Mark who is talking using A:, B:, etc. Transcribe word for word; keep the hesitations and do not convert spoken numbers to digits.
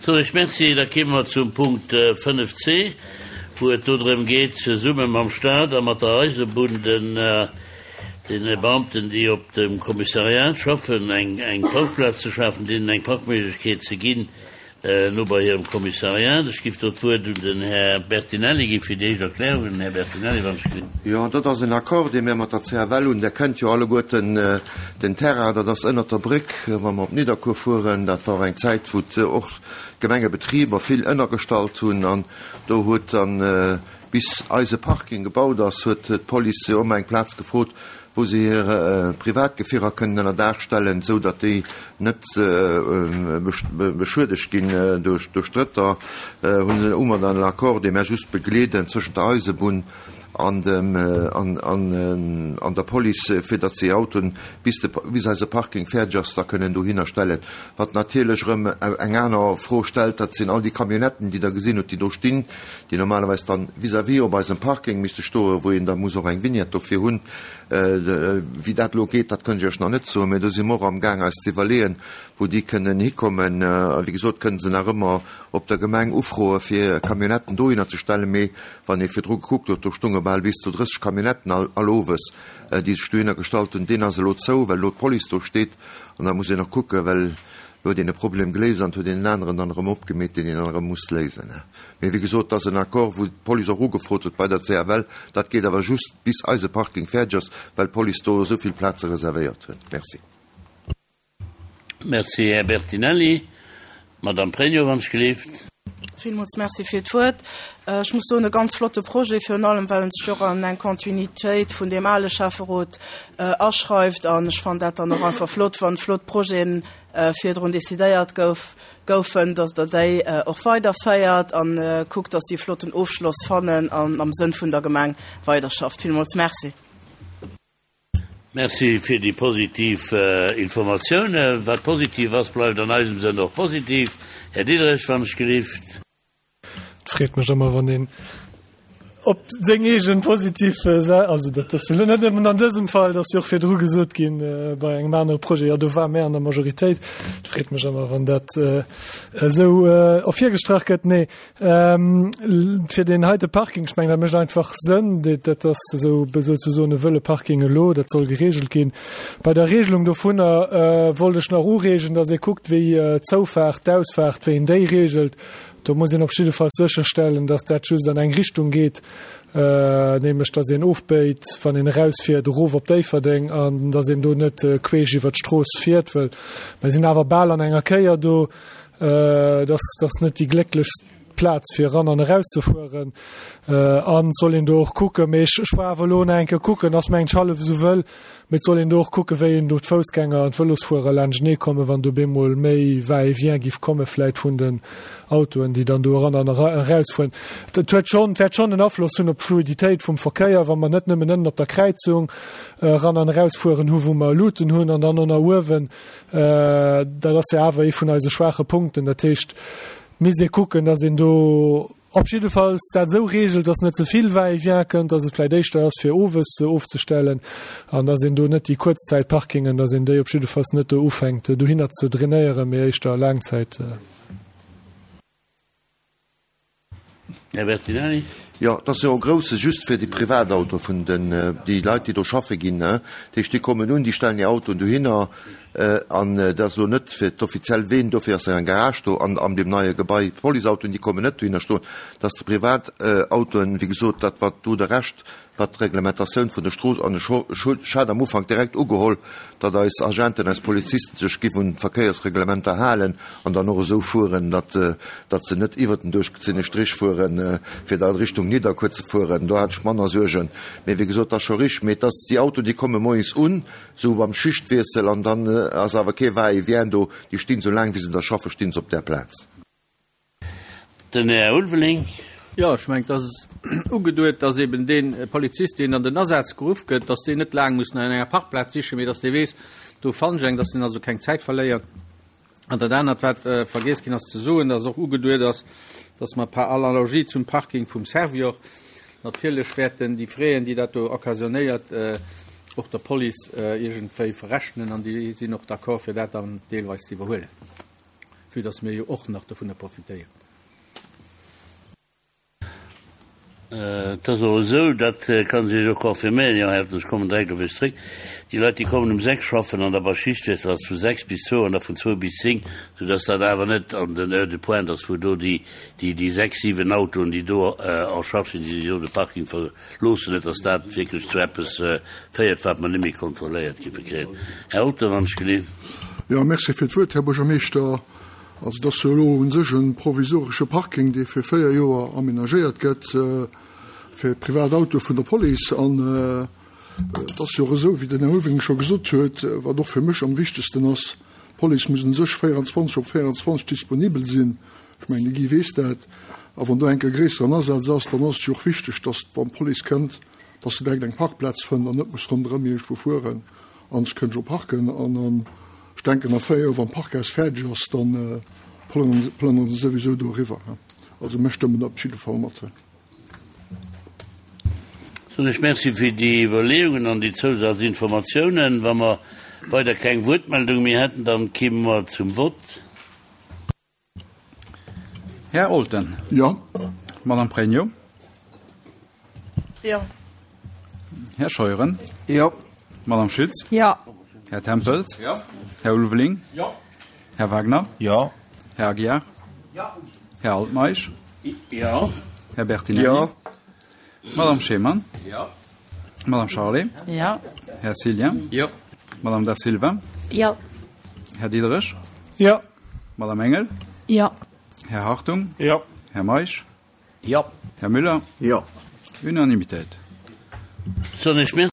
A: Soen ech Merci. Da kéime mer zum Punkt fënnef C, wou et do drëm geet, zesumme mam Stat a mat der Eisebunn den deene Beamten, déi op dem Kommissariat schaffen, eng eng Parkplaz ze schafen, deenen eng Parkméiglechkeet ze ginn no bei hirem Kommissariat. Ech giff do d'Wuert un den Här Bertinelli gi fir déi éischt Erklärungen. Här Bertinelli, wann ech.
B: Jo, dat ass en Accord, dee mir mat der C F L hunn. Der kennt jo alleguerten den Terrain, dat ass ënnert der Bréck, wa mer op Nidderkuer fueren. Dat war eng Zäit, wou och d'Gemengebetriber vill ënnergestallt hunn, an do huet dann, bis eise Parking gebaut ass, huet d'Police jo ëmmer eng Plaz gefrot, wou se hir Privatgefierer kënnen ënner Daach stellen, esou datt déi net beschuedegt ginn duerch Drëtter. Hunn hu mer dann en Accord, dee mär just begleeden, zwëschent der Eisebunn an dem an der Police, fir datt se hir Autoen, bis de bis eise Parking fäerdeg ass, da kënnen dohinner stellen. Wat natierlech erëm eng aner Fro stellt, dat sinn all déi Camionnetten, déi Der gesinn hutt, déi do stinn, déi normalerweis dann vis-à-vis op eisem Parking misste stoen, wou een da muss och eng Vignette dofir hunn. Wéi dat elo geet, dat kënnt ech Iech nach net soen, mä do si mer och amgaang eis ze iwwerleeën, wou déi kënnen hikommen. A wéi gesot, kënnen se nach ëmmer op der Gemeng ufroe fir Camionnetten dohinner ze stellen, mee wann ee virdru gekuckt huet, do stonge bal bis zu drësseg Camionnetten all all owes, déi sech dohinner gestallt hunn. Deen ass elo zou, well elo d'Police do steet. An da muss een och kucken, well elo huet een e Problem geléist an et huet een en aneren dann erëm opgemeet, deen een dann erëm muss léisen. Mee wéi gesot, et ass en Accord, wou d'Police och ugefrot huet bei der C F L. Dat geet awer just bis eise Parking fäerdeg ass, well d'Police do esou vill Plaze reservéiert huet. Merci.
A: Merci, Här Bertinelli. Madame Pregno, wann ech gelift.
C: Villmools Merci fir d'Wuert. Ech muss soen, e ganz flotte Projet, virun allem well en sech och an eng Kontinuitéit vun deem ale Schäfferot aschreift. An ech fannen dat dann och einfach flott, wann flott Projeten virdrun decidéiert gouf, goufen, dass Der déi och weiderféiert a kuckt, dass déi e flotten Ofschloss fannen an am Sënn vun der Gemeng weiderschafft. Villmools Merci.
A: Merci fir déi positiv Informatiounen. Wat positiv ass, bleift an eisem Sënn och positiv. Här Diderich, wann ech gelift.
D: Et freet mech ëmmer, wann een op seng eegen positiv, also dat ass jo net nëmmen an dësem Fall, dat ass jo och virdru gesot ginn bei engem anere Projet, jo do ware mär an der Majoritéit. Et freet mech ëmmer, wann dat esou ervirgestrach gëtt. Nee, fir deen heite Parking, ech mengen, dat mécht einfach Sënn, dat ass esou souzesoen e wëlle Parking elo, dat soll geregelt ginn. Bei der Regelung dovunner wollt ech nach ureegen, datt ee kuckt, wéi d'Zoufaart, d'Ausfaart, wéi een déi regelt. Do muss een op jidde Fall sécherstellen, dass dat just an eng Richtung geet, nämlech dass een ofbéit, wann een erausfiert, erof op Déifferdeng, an dass een do net queesch iwwert d'Strooss fiert, well mer sinn awer bal an enger Kéier do. Dat ass net déi glécklechst Plaz, fir eran an erauszefueren. An et soll een do och kucken, mee ech war awer elo nach eng Kéier kucken, ass mengen ech hallef esou wëll, mee et soll een do och kucken, wéi een do d'Foussgänger an d'Vëlosfuerer laanschtenee kommen, wann do bemol méi Va-et-vient giff komme vläit vun den Autoen, déi dann do eran an erausfueren. Dat huet schonn, wäert schonn en Afloss hunn op d'Fluiditéit vum Verkéier, wa mer net nëmmen ënnen op der Kräizung eran an erausfueren hu wou mer Luuten hunn an dann och nach uewen. Dat ass jo awer ee vun eise schwaache Punkten. Dat heescht, et misst ee kucken, datt een do op jiddefalls dat esou regelt, datt net ze vill Va-et-vient kënnt, datt et vläicht éischter ass fir owes se ofzestellen an datt een do net déi Kuerzzäitparkingen, datt een déi op jiddefalls net do ufänkt dohinner ze drainéieren, mee éischter Laangzäit.
A: Här Bertinelli.
B: Jo, et ass jo e grousse just fir déi Privatauto vun den, déi Leit, déi do schaffe ginn. Dat heescht, déi kommen un, déi stellen hir Autoen dohinner an dat ass elo net fir d'offiziell Ween, dofir ass eng Garage do an an deem neie Gebai. D'Policeautoen, déi kommen net dohinner stoen. Dat ass de Privatautoen, wéi gesot, dat wat do de Rescht, wat d'Reglementatioun vun der Strooss, an ech ech hat am Ufank direkt ugeholl, datt eis Agenten, eis Polizisten sech giff un d'Verkéiersreglementer halen an dann och esou fueren, datt datt se net iwwert den duerchgezinne Strich fueren, fir da Richtung Nidderkuer ze fueren. Do hat ech manner Suergen. Mee wéi gesot, dat ass scho richteg. Mee et ass déi Autoen, déi komme moies un, esou beim Schichtwiessel, an dann ass awer kee Va-et-vient do. Déi stinn esou laang wéi se da schaffen, stinn se op där Plaz.
A: Den Här Ulveling.
E: Jo, ech mengen, et ass ugeduet, dass eben dee Polizist, deen an den Asaz geruff gëtt, dass deen net laang muss no enger Parkplaz sichen, mee dass dee weess, do fannen ech eng, dass deen also keng Zäit verléiert. An dat anert, wat vergiess ginn ass ze soen, dass och ugeduet ass, dass mer par analogie zum Parking vum Servior natierlech wäerten déi Fräen, déi dat do occasionnéiert, och der Police iergendwéi verrechnen, an déi sinn och d'accord, fir dat dann deelweis ze iwwerhuelen. vue dass mir jo och nach dovunner profitéieren.
A: Et ass och esou, dat kann ech Iech och confirméieren, jo, Här Eltgen, ech kommen direkt op Iech zréck, déi Leit, déi kommen um sechs schaffen an da bei Schichtwiessel ass vu sechs bis zwou an da vun zwou bis zéng, soudass dat awer net an den Heures de pointe ass, wou do déi, déi, déi sechs, siwen Autoen, déi do en charge sinn, déi do de Parking verloossen, net dass dat wierklech zu eppes féiert, wat mer net méi kontrolléiert géife kréien. Här Eltgen, wann ech geleeën.
F: Jo, merci fir d'Wuert, Här Buergermeeschter. Also, et ass jo elo u sech e provisoresche Parking, dee fir véier Joer amenagéiert gëtt fir privat Autoe vun der Police. An et ass jo och esou, wéi den Här Ulveling scho gesot huet, wat och fir mech am wichtegsten ass, d'Police muss u sech véierundzwanzeg op véierundzwanzeg disponibel sinn. Ech mengen, de Guy weess dat. A wann do enke gréisseren Asaz ass, dann ass et jo och wichteg, dass, wann d'Police kënnt, dass se direkt eng Parkplaz fënnt an net muss ronderëm iergendwou fueren an se kënnt jo parken. An ech denken, a véier Joer, wann d'Parkhaus fäerdeg ass, da plënnere se souwisou do eriwwer. Also mir stëmmen op jidde Fall mat.
A: Soen ech Merci fir déi Iwwerleeungen an déi Zousazinformatiounen. Wa mer weider keng Wuertmeldung méi hätten, dann kéime mer zum Vott.
G: Här Olten.
F: Jo.
G: Madame Pregno.
C: Jo.
G: Här Scheuren.
H: Jo.
G: Madame Schütz.
I: Jo.
G: Här Tempels.
E: Jo.
G: Här Ulveling.
E: Jo.
G: Här Wagner.
J: Jo.
G: Här Aguiar.
E: Jo.
G: Här Altmeisch.
A: Jo.
G: Här Bertinelli.
B: Jo.
G: Madame Schemann.
E: Jo.
G: Madame Charlé.
I: Jo.
G: Här Cillien.
E: Jo.
G: Madame Da Silva.
I: Jo.
G: Här Diderich.
D: Jo.
G: Madame Engel.
I: Jo.
G: Här Hartung.
J: Jo.
G: Här Meisch.
J: Jo.
G: Här Müller.
B: Jo.
G: Unanimitéit.
A: Soen ech Merci.